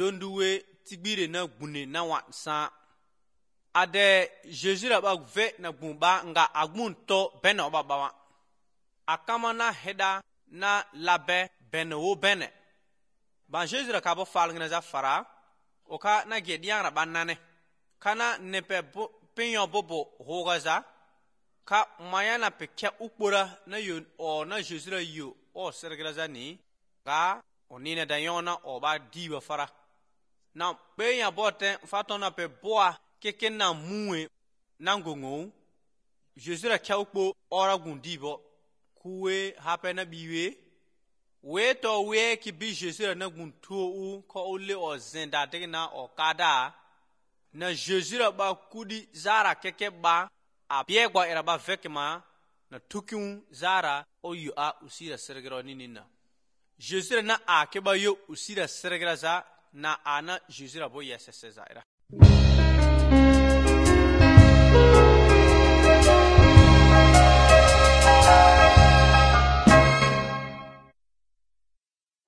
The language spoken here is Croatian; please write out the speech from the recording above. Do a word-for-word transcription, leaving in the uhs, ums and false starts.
donduwe tibire na gbune na wansa ade Jésus la ba ve na gbumba nga agbun to bene oba bawa akama na heda na labe bene wo bene ban Jésus la ka bo falngna za fara oka na gedian ra banane kana nepe pinyo bobo hogaza ka mayana pekya ukpora na yo o na Jésus la yo o serglaza ni ka onine dayona oba diwa fara na pe ya bote fatona pe boa keke na muwe na ngongo Jésus la kya ukpo ora gundibo kuwe hape na biwe we to we ki bi Jésus la na guntu u ko ole o zenda de na o kada na Jésus la ba kudi zara keke ba a biegwa era ba vekema na tukiun zara o yu a usira sergero ninina Jésus na a ke ba yo usira sergera za na ana Jésus la bo yesese za era